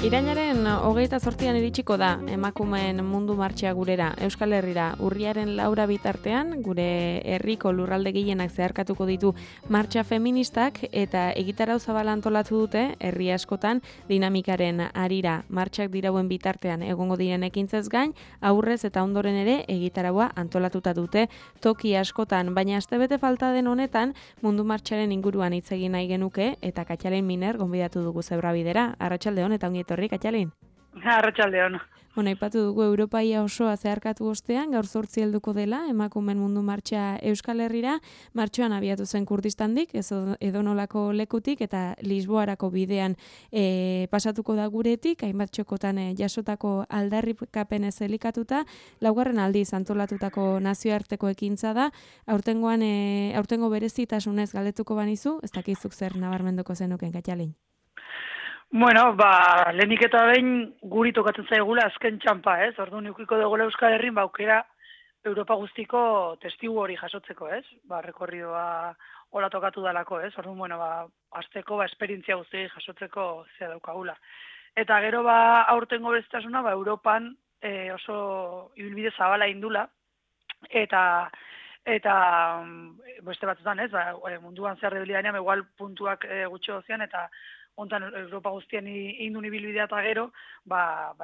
Irailaren 28an iritsiko da emakumeen mundu martxa gurera, Euskal Herrira. Urriaren 4 bitartean, gure herriko lurralde gehienak zeharkatuko ditu martxa feministak eta egitarau zabala antolatu dute herri askotan dinamikaren harira. Martxak dirauen bitartean egongo diren ekintzez gain, aurrez eta ondoren ere egitaraua antolatuta dute toki askotan, baina astebete falta den honetan mundu martxaren inguruan hitz egin nahi genuke eta Katxalin Miner gonbidatu dugu Zebrabidera. Arratsaldeon eta ongi etorri, Katxalin. Arratsaldeon. Bueno, aipatu dugu Europaia osoa zeharkatu ostean, gaur 8 helduko dela emakumeen mundu martxa Euskal Herrira. Martxoan abiatu zen Kurdistandik, edonolako lekutik eta Lisboarako bidean pasatuko da guretik, hainbat txokotan jasotako aldarrikapenez elikatuta, 4. aldiz antolatutako nazioarteko ekintza da. Aurtengo berezitasunez galdetuko banizu, ez dakizuk zer nabarmenduko zenuken, Katxalin. Bueno, lehenik eta behin guri tokatzen zaigula azken txampa, ez? Orduan ukiko dugu Euskal Herrin, aukera Europa guztiko testigu hori jasotzeko, ez? Rekorridoa hola tokatu dalako, ez? Orduan, bueno, azteko, esperientzia guzti jasotzeko zea daukagula. Eta gero, aurtengo bezitasuna, Europan oso ibilbide zabala indula, eta beste batzutan, ez? Munduan zer debilidanean, igual puntuak gutxi ozian, eta hontan Europa guztian indun ibilbidea eta gero,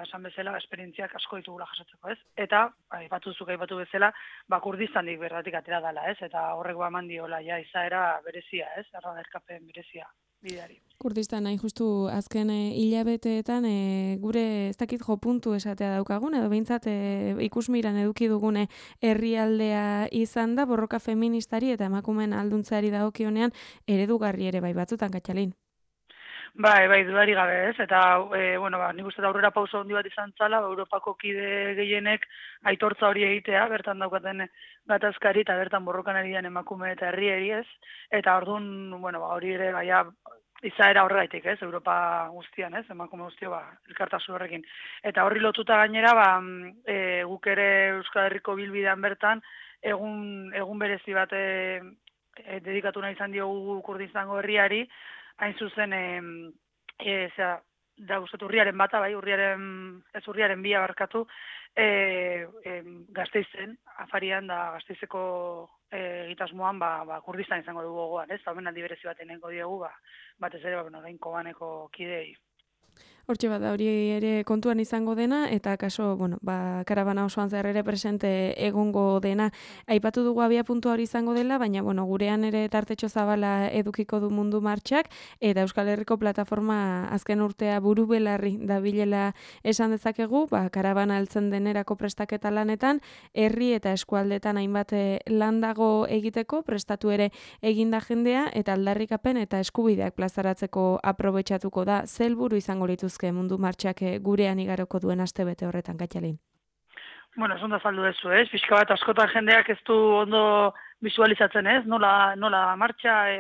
esan bezala, esperientziak asko ditugula jasotzeko, ez? Eta, aipatu bezala, Kurdistandik bertatik atera dela, ez? Eta horrek eman diola, izaera berezia, ez? Erkapen berezia bideari. Kurdistan, hain justu azken hilabeteetan gure ez dakit jo puntu esatea daukagun, edo behintzat ikusmiran eduki dugune herrialdea izan da, borroka feministari eta emakumeen alduntzeari dagokionean eredugarri ere bai batzutan, Katxalin. Bai, dudari gabe, ez? Eta, nik uste da aurrera pauso handi bat izan zala, Europako kide gehienek aitortza hori egitea, bertan daukaten gatazkari eta bertan borrokan ari den emakume eta herrieri, ez? Eta orduan, hori ere, izaera horregaitik, ez? Europa guztian, ez? Emakume guztio, elkartasun horrekin. Eta horri lotuta gainera, guk ere Euskal Herriko bilbidean bertan, egun berezi bat dedikatu nahi izan diogu Kurdistango herriari, hain zuzen, urriaren bata, urriaren 2 barkatu, Gasteizen, afarian da Gasteizeko egitasmoan, Kurdistan izango dugu gogoan, ez? Omen aldi berezi bat enengo diegu, batez ere, orain Kobaneko kidei. Hortxe bat da hori ere kontuan izango dena, eta kaso, karabana osoan zehar ere presente egongo dena. Aipatu dugu abia puntua hori izango dela, baina, gurean ere tartetxo zabala edukiko du mundu martxak, eta Euskal Herriko plataforma azken urtea buru belarri dabilela esan dezakegu, karabana heltzen denerako prestaketa lanetan, herri eta eskualdetan hainbat lan dago egiteko, prestatu ere eginda jendea, eta aldarrikapen eta eskubideak plazaratzeko aprobetxatuko da, zelburu izango lituzke mundu martxak gurean igaroko duen astebete horretan, Katxalin. Zonda saldu dezu, ez? Pixka bat askotan jendeak ez du ondo visualizatzen, ez? Nola martxa,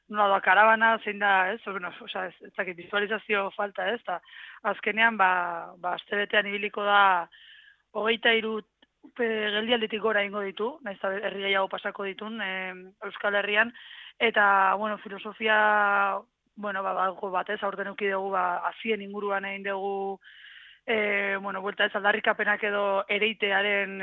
nola da karabana, zein da, ez? Ez dakit, visualizazio falta, ez? Azkenean, astebetean ibiliko da 23 geldialditik gora ingo ditu, nahiz herri gehiago pasako ditun Euskal Herrian, eta, filosofia batez, aurten euki dugu, azien inguruan egin dugu, buelta ez aldarrikapenak edo ereitearen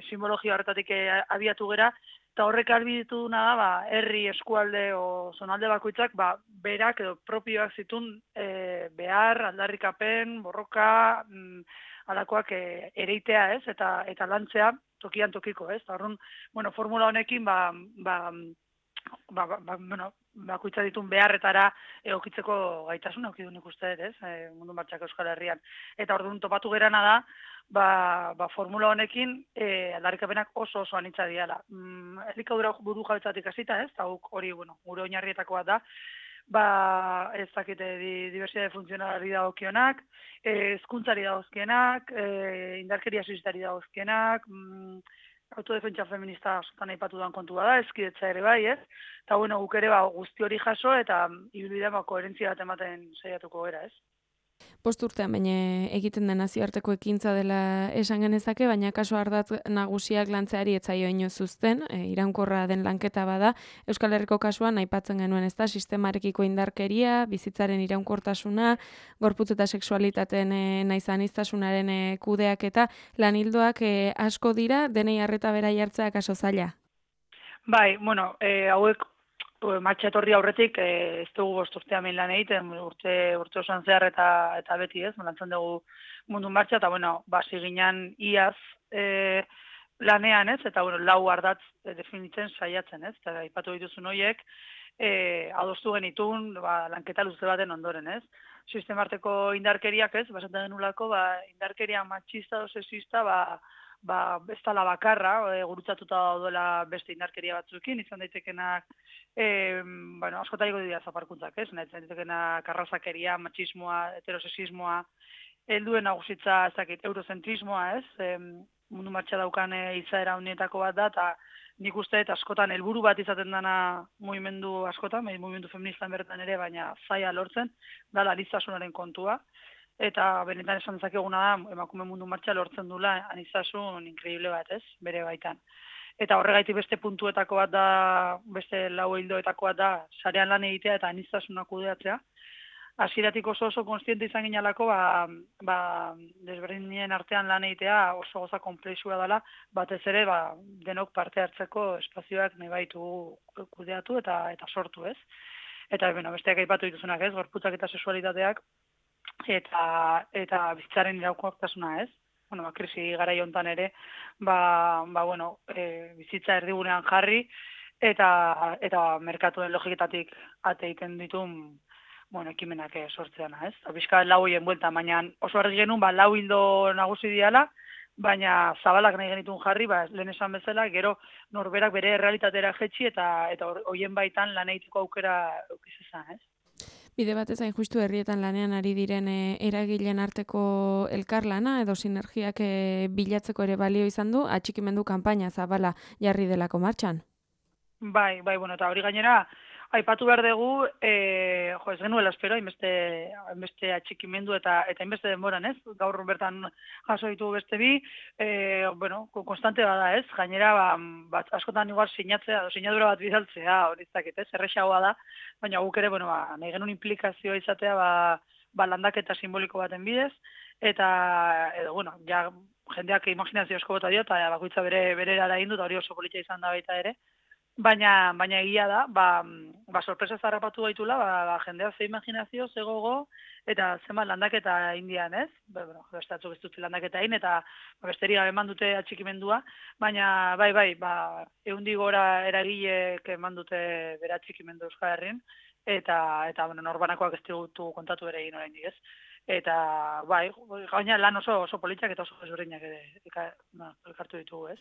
simbologia horretatik abiatu gera, eta horrek albiditu duna da, herri, eskualde o zonalde bakoitzak, berak edo propioak zitun behar, aldarrikapen, borroka, alakoak ereitea, ez, eta lantzea tokian tokiko, ez, eta horren, formula honekin, bakoitza ditun beharretara egokitzeko gaitasuna eukidu nik uste, ez, mundu martxak Euskal Herrian. Eta orduan topatu gerana da, formula honekin aldarrikapenak oso anitza diala. Elikadura buru jabetzatik hasita, ez, eta hori, gure oinarrietakoa da, ez dakite diversidade funtzionalari dagokionak, hezkuntzari dagozkienak, indarkeria suizitari dagozkienak, autodefentsa feminista askotan aipatu duan kontua da, ezkidetza ere bai, ez? Eta, guk ere guzti hori jaso eta ibilbidean koherentzia bat ematen saiatuko gara, ez? Bost urtean baina egiten den nazioarteko ekintza dela esan genezake, baina kaso ardatz nagusiak lantzeari etzaio inoiz uzten, iraunkorra den lanketa bada. Euskal Herriko kasuan aipatzen genuen ezta sistemarekiko indarkeria, bizitzaren iraunkortasuna, gorputz eta sexualitateen naiz aniztasunaren kudeaketa, lan ildoak asko dira, denei arreta bera jartzea kaso zaila. Bai, bueno, hauek martxa etorri aurretik ez dugu bost urtean lan egiten, urte osoan zehar eta beti ez, lantzen dugu mundu martxa, eta bueno, basi ginen iaz lanean ez, eta bueno, lau ardatz definitzen saiatzen ez, eta aipatu dituzun horiek, adostu genitun lanketa luze baten ondoren ez. Sistemarteko indarkeriak ez, basatzen denulako, indarkeria matxista o sexista, ez dela bakarra, gurutzatuta daudela beste indarkeria batzuekin, izan daitekenak, askotariko dira zaparkuntzak, ez? Izan daitekenak arrazakeria, matxismoa, heterosexismoa, helduen nagusitza, ez dakit, eurozentrismoa, ez? Mundu martxa daukan izaera honietako bat da, eta nik uste eta askotan helburu bat izaten dana mugimendu askotan, mugimendu feministan bertan ere, baina zaila lortzen, da aniztasunaren kontua. Eta benetan esan dezakeguna da, emakume mundu martxa lortzen dula aniztasun inkreible bat, ez, bere baitan. Eta horregaitik beste puntuetako bat da, beste lau hildoetako bat da, sarean lan egitea eta aniztasuna kudeatzea. Hasieratik oso konstiente izan ginalako, desberdinen artean lan egitea oso goza konplexua dela, batez ere, denok parte hartzeko espazioak nahi baitu kudeatu eta sortu, ez. Eta, besteak aipatu dituzunak, ez, gorputzak eta sexualitateak, eta bizitzaren iraunkortasuna, ez? Krisi garai hontan ere, bizitza erdigunean jarri eta merkatuen logiketatik ate egiten ditun, ekimenak sortzeana, ez? Bizka lau hoien buelta, baina oso argi genuen, lau hildo nagusi diala, baina zabalak nahi genitun jarri, lehen esan bezala, gero norberak bere realitatera jetxi eta hoien baitan lan egiteko aukera eukizizan, ez? Bide batez hain justu herrietan lanean ari diren eragileen arteko elkarlana edo sinergiak bilatzeko ere balio izan du, atxikimendu kanpaina zabala jarri delako martxan. Bai, eta hori gainera, aipatu behar dugu, ez genuela espero, hainbeste atxikimendu eta hainbeste denboran, ez? Gaur bertan jaso ditugu beste bi, konstante bada, ez? Gainera, askotan igual sinatzea, sinadura bat bidaltzea, hori zakit, ez? Errexagoa da, baina guk ere, nahi genuen implikazioa izatea, landaketa simboliko baten bidez, eta, jendeak imaginazio asko bota dio, eta bakoitza bere erara egin dut, hori oso politxa izan da baita ere, baina egia da, sorpresa zarrapatu gaitula, jendea ze imaginazio, ze gogo, eta zenbat landaketa indian, ez? Beste atzuk ez dut landaketa egin, eta besteri gabe eman dute atxikimendua, baina bai, 100 gora eragileek eman dute bere atxikimendu Euskal Herrin, eta norbanakoak ez ditugu kontatu ere egin oraindik, ez? Eta, gaina lan oso politxak eta oso ezberdinak elkartu ditugu, ez?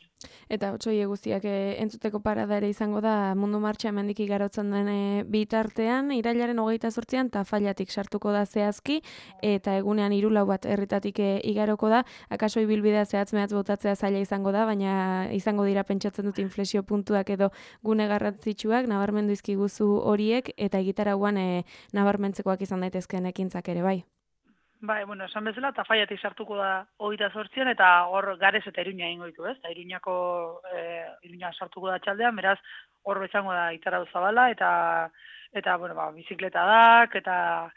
Eta otsoie guztiak entzuteko parada ere izango da mundu martxa hemendik igarotzen den bitartean, irailaren 28an Tafailatik sartuko da zehazki, eta egunean 3-4 bat herritatik igaroko da, akaso ibilbidea zehatz mehatz botatzea zaila izango da, baina izango dira pentsatzen dut inflexio puntuak edo gune garrantzitsuak, nabarmendu izkiguzu horiek, eta egitarauan nabarmentzekoak izan daitezkeen ekintzak ere, bai. Bai, esan bezala, Tafailatik sartuko da 28an, eta hor Gares eta Iruña egingo ditu, ez? Iruña sartuko da txaldean, beraz, hor bezango da Itarau Zabala, eta bizikletadak, eta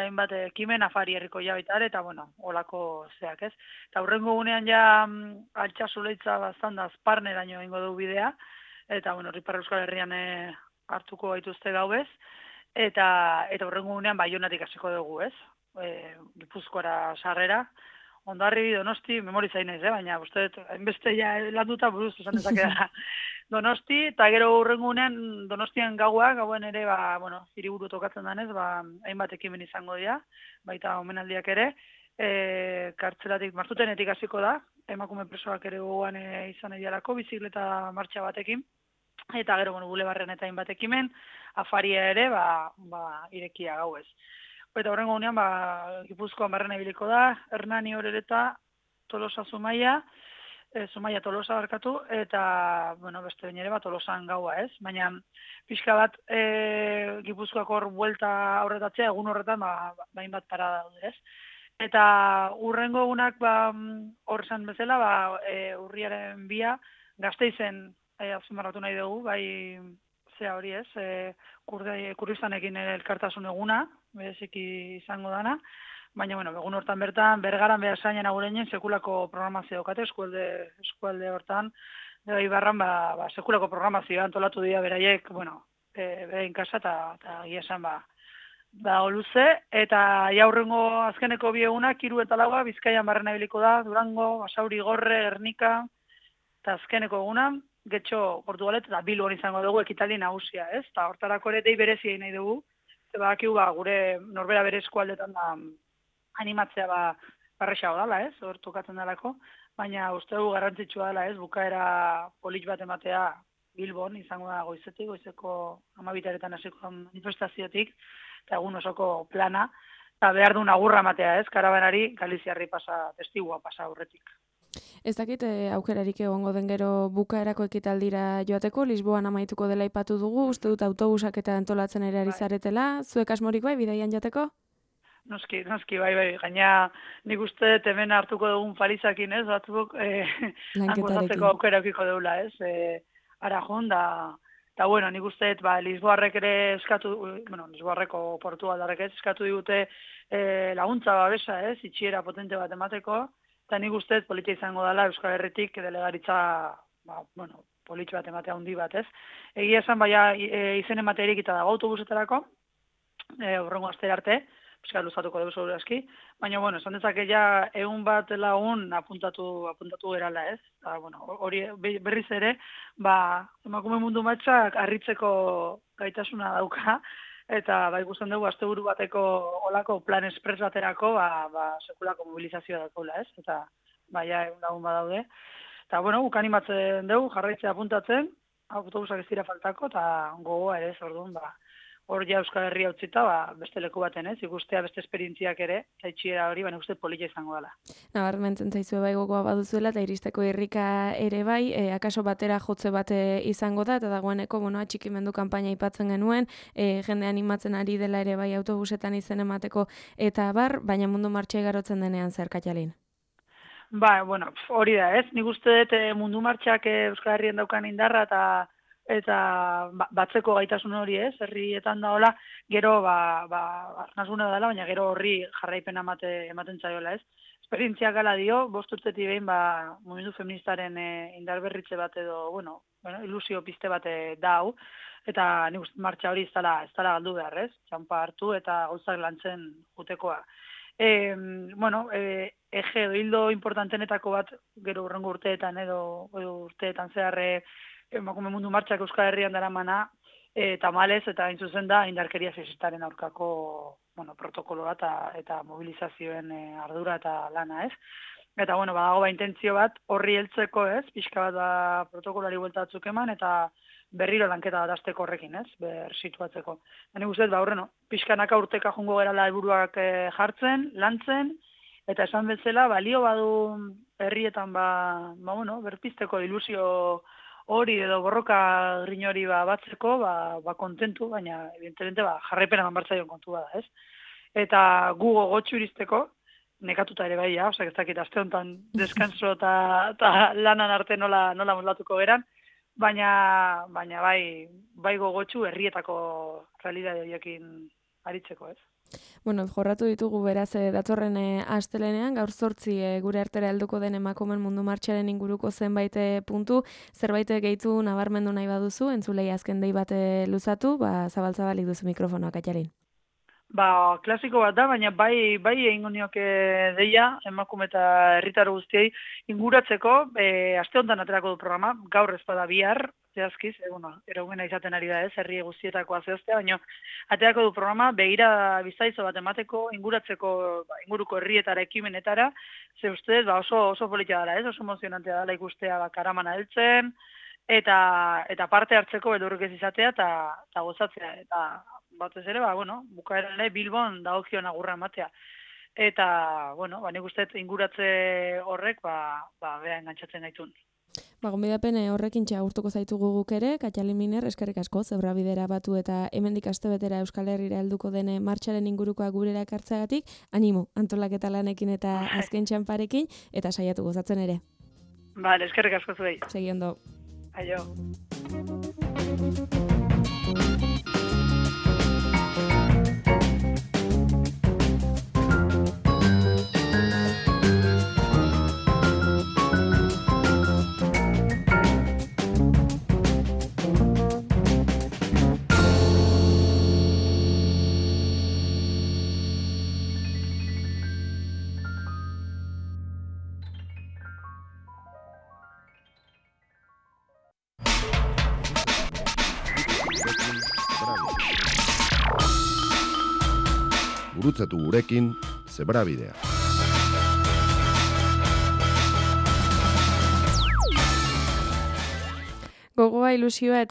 hainbat ekimen afari herriko jabaitar, eta, holako zeak, ez? Eta hurrengo gunean ja Altsasu-Leitza baztanda Azparneraino egingo du bidea, eta, Riparra Euskal Herrian hartuko gaituzte gaubez, eta hurrengo gunean Baionatik hasiko dugu, ez? Gipuzkoara sarrera, Hondarribi, Donosti, memoriza inez, baina uste hainbeste ja landuta buruz esan dezakeda Donosti, eta gero hurrengunean Donostian gauen ere, hiriburu tokatzen danez, hainbat ekimen izango dira, baita omenaldiak ere, kartzelatik Martutenetik hasiko da, emakume presoak ere gogoan izan edialako, bizikleta martxa batekin, eta gero, bulebarren eta hainbat ekimen, afaria ere, irekia gauez. Eta horrengo gunean, Gipuzkoan barrena ibiliko da, Hernani Orereta, Tolosa Zumaia, Zumaia Tolosa barkatu, eta, bueno, beste bain ere bat Tolosan gaua, ez? Baina, pixka bat, Gipuzkoako hor buelta horretatzea, egun horretan, bain bat parada daude, ez? Eta urrengo egunak, hor esan bezala, urriaren 2 Gasteizen, azpimarratu nahi dugu, bai, zea hori ez, kurdistanekin elkartasun eguna, bereziki izango dana, baina, bueno, egun hortan bertan, Bergaran behar zainen agureinen sekulako programazio daukate, eskualde hortan, Ibarran, sekulako programazioa antolatu dira beraiek, bueno, berain kasa eta egia esan, luze, eta jaurrengo azkeneko 2 egunak, 3 eta 4 Bizkaian barrena ibiliko da, Durango, Basauri, Gorre, Gernika, eta azkeneko eguna, Getxo, Portugalet, eta Bilbon izango dugu ekitaldi nagusia, ez? Eta hortarako ere dei berezi nahi dugu, eta badakigu gure norbera bere eskualdetan da animatzea barrexago dela, ez? Hor tokatzen dalako, baina uste dugu garrantzitsua dela, ez? Bukaera polit bat ematea Bilbon izango da goizeko 12 hasiko manifestaziotik, eta egun osoko plana, eta behar duen agurra ematea, ez? Karabanari Galiziarri testigua pasa aurretik. Ez dakit aukerarik egongo den gero bukaerako ekitaldira joateko, Lisboan amaituko dela aipatu dugu, uste dut autobusak eta antolatzen ere ari zaretela, zuek asmorik bai, bidaian jateko? Noski, bai, gaina nik uste hemen hartuko dugun palizakin, ez, batzuk gozatzeko aukera ukiko deula, ez, Arajon, eta bueno, nik uste, Lisboarrek ere Lisboarreko Portugaldarrek eskatu digute laguntza babesa, ez, itxiera potente bat emateko, eta nik uste politia izango dela Euskal Herritik delegaritza, politxo bat ematea handi bat, ez. Egia esan, izen ematerik eta dago autobusetarako, horrengo astera arte, pizka luzatuko dugu seguru aski, baina, esan dezake ja egun bat lagun apuntatu gerala, ez? Eta, hori berriz ere, emakume mundu matxak harritzeko gaitasuna dauka, eta ikusten dugu asteburu bateko olako plan espres baterako, sekulako mobilizazioa dakoela, ez? Eta, egun lagun badaude. Eta, guk animatzen dugu, jarraitzea apuntatzen, autobusak ez dira faltako, eta gogoa ere, orduan, hor ja Euskal Herria utzita, beste leku baten, ez? Ikustea beste esperientziak ere, eta itxiera hori, uste polita izango dela. Nabarmentzen zaizue bai gogoa baduzuela, eta iristeko irrika ere bai, akaso batera jotze bate izango da, eta dagoeneko, atxikimendu kanpaina aipatzen genuen, jende animatzen ari dela ere bai autobusetan izen emateko, eta baina mundu martxa igarotzen denean zer, Katjalin? Hori da, ez? Nik uste dut mundu martxak Euskal Herrien daukan indarra, eta batzeko gaitasun hori, ez, herrietan da hola, gero, arnazguna dela, baina gero horri jarraipena ematen zaiola, ez. Esperientziak gala dio, 5 urtetik behin, mugimendu feministaren indarberritze bat edo, ilusio piste bat da hau, eta nik uste martxa hori ez dela galdu behar, ez, txampa hartu eta gauzak lantzen jutekoa. Eje edo hildo importantenetako bat, gero urrengo urteetan edo urteetan zeharre, emakume mundu martxak Euskal Herrian daramana, tamalez eta hain zuzen da indarkeria sexistaren aurkako protokoloa eta mobilizazioen ardura eta lana, ez? Eta, badago intentzio bat horri heltzeko, ez? Pixka bat protokolari buelta batzuk eman eta berriro lanketa bat azteko horrekin, ez? Situatzeko. Nik uste, pixkanaka urteka jongo gerala helburuak jartzen, lantzen, eta esan bezala, balio badu herrietan, berpizteko ilusio hori edo borroka grin hori batzeko, kontentu, baina, evidentemente, jarraipena manbartzaion kontu bada, ez? Eta gu gogotxu iristeko, nekatuta ere bai, ez dakit, aste honetan deskanso eta lanan arte nola moldatuko geran, baina bai gogotxu herrietako realidade horiekin aritzeko, ez? Jorratu ditugu beraz datorren astelenean, gaur 8 gure artera helduko den emakumeen mundu martxaren inguruko zenbait puntu, zerbait gehitu nabarmendu nahi baduzu, entzulei azken dei bat luzatu, zabal-zabalik duzu mikrofonoa, Katjalin. Klasiko bat da, baina bai egingo nioke deia, emakume eta herritar guztiei inguratzeko, aste honetan aterako du programa, gaur ez bada bihar, zehazkiz, eraugena izaten ari da ez, herri guztietakoa zehaztea, baina aterako du programa, begira bizaizo bat emateko, inguratzeko, inguruko herrietara, ekimenetara, ze ustez, oso politia dela ez, oso emozionantea dela ikustea karamana heltzen, eta parte hartzeko beldurrik ez izatea, eta gozatzea, eta batez ere, bukaeran ere Bilbon dagokion agurra ematea. eta, bueno, nik uste inguratze horrek, bea engantzatzen gaitun. Gonbidapen horrekin agurtuko zaitugu guk ere, Katxali Miner, eskerrik asko, Zebrabidera batu eta hemendik astebetera Euskal Herrira helduko den martxaren ingurukoa gurera ekartzeagatik, animo, antolaketa lanekin eta azken txanparekin, eta saiatu gozatzen ere. Bale, eskerrik asko zuei. Segi ondo. Aio. Gurutzatu gurekin, Zebrabidea. Gogoa, ilusioa